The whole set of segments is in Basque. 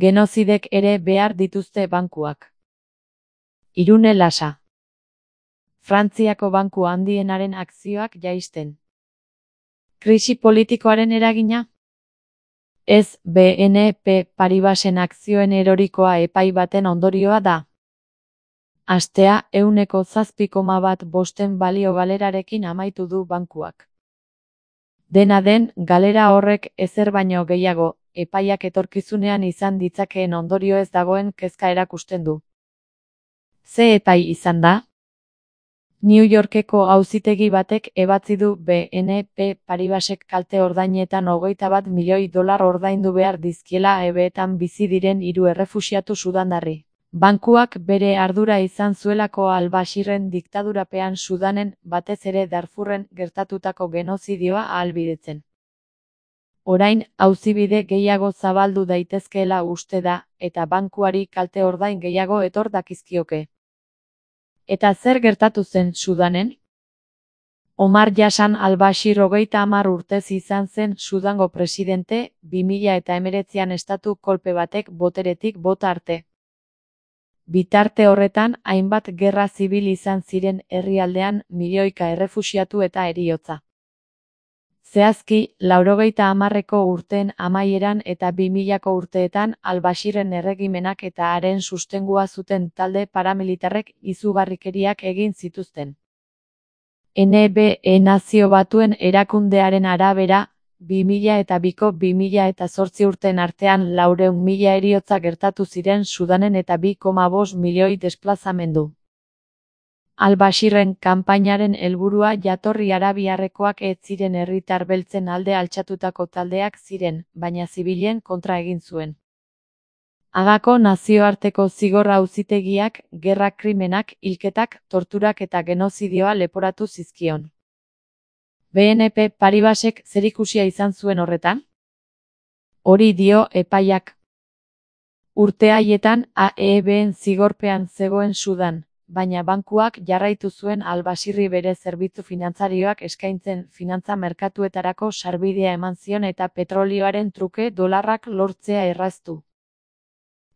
Genozidek ere behar dituzte bankuak. Irune Lasa. Frantziako banku handienaren akzioak jaisten. Krisi politikoaren eragina? Ez, BNP Paribasen akzioen erorikoa epai baten ondorioa da. Astea 7,1% balio galerarekin amaitu du bankuak. Dena den, galera horrek ezer baino gehiago, epaiak etorkizunean izan ditzakeen ondorio ez dagoen kezka erakusten du. Ze epai izan da? New Yorkeko auzitegi batek ebatzi du BNP Paribasek kalte ordainetan $21 milioi ordaindu behar dizkiela EBEetan bizi diren 3 errefuxiatu sudandarri. Bankuak bere ardura izan zuelako al-Bashirren diktadurapean Sudanen, batez ere Darfurren gertatutako genozidioa ahalbidetzen. Orain, auzibide gehiago zabaldu daitezkeela uste da, eta bankuari kalte ordain gehiago etor dakizkioke. Eta zer gertatu zen Sudanen? Omar Hassan al-Bashir 30 urtez izan zen Sudango presidente, 2019an estatu kolpe batek boteretik bota arte. Bitarte horretan, hainbat gerra zibil izan ziren herrialdean, milioika errefuxiatu eta heriotza. Zehazki, 90ko urteen amaieran eta 2000ko urteetan al-Bashirren erregimenak eta haren sustengua zuten talde paramilitarrek izugarrikeriak egin zituzten. NBE Nazio Batuen erakundearen arabera, 2002ko 2008 urteen artean 400.000 heriotza gertatu ziren Sudanen eta 2,5 milioi desplazamendu. Al-Bashirren kanpainaren helburua jatorri arabiarrekoak ez ziren herritar beltzen alde altxatutako taldeak ziren, baina zibilen kontra egin zuen. Hagako nazioarteko zigor auzitegiak, gerra krimenak, hilketak, torturak eta genozidioa leporatu zizkion. BNP Paribasek zerikusia izan zuen horretan? Hori dio epaiak. Urte haietan AEBen zigorpean zegoen Sudan, baina bankuak jarraitu zuen al-Bashirri bere zerbitzu finantzarioak eskaintzen finantza merkatuetarako sarbidea eman zion eta petrolioaren truke dolarrak lortzea erraztu.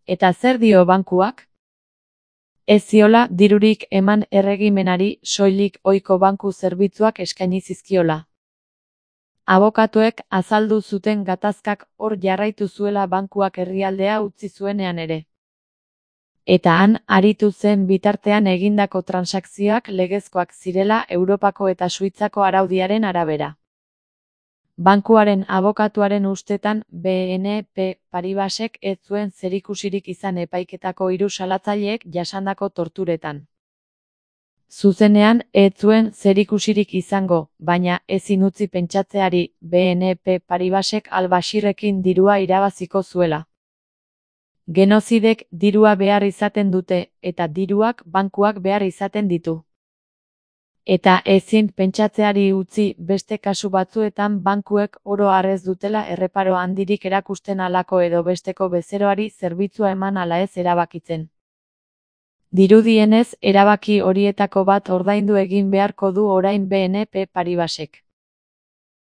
Eta zer dio bankuak? Ez ziola dirurik eman erregimenari soilik ohiko banku zerbitzuak eskaini zizkiola. Abokatuek azaldu zuten gatazkak hor jarraitu zuela bankuak herrialdea utzi zuenean ere. Eta han aritu zen bitartean egindako transakzioak legezkoak zirela Europako eta Suitzako araudiaren arabera. Bankuaren abokatuaren ustetan BNP Paribasek ez zuen zerikusirik izan epaiketako 3 salatzaileek jasandako torturetan. Zuzenean ez zuen zerikusirik izango, baina ezin utzi pentsatzeari BNP Paribasek al-Bashirrekin dirua irabaziko zuela. Genozidek dirua behar izaten dute, eta diruak bankuak behar izaten ditu. Eta ezin pentsatzeari utzi beste kasu batzuetan bankuek oro har ez dutela erreparo handirik erakusten halako edo besteko bezeroari zerbitzua eman ala ez erabakitzen. Dirudienez, erabaki horietako bat ordaindu egin beharko du orain BNP Paribasek.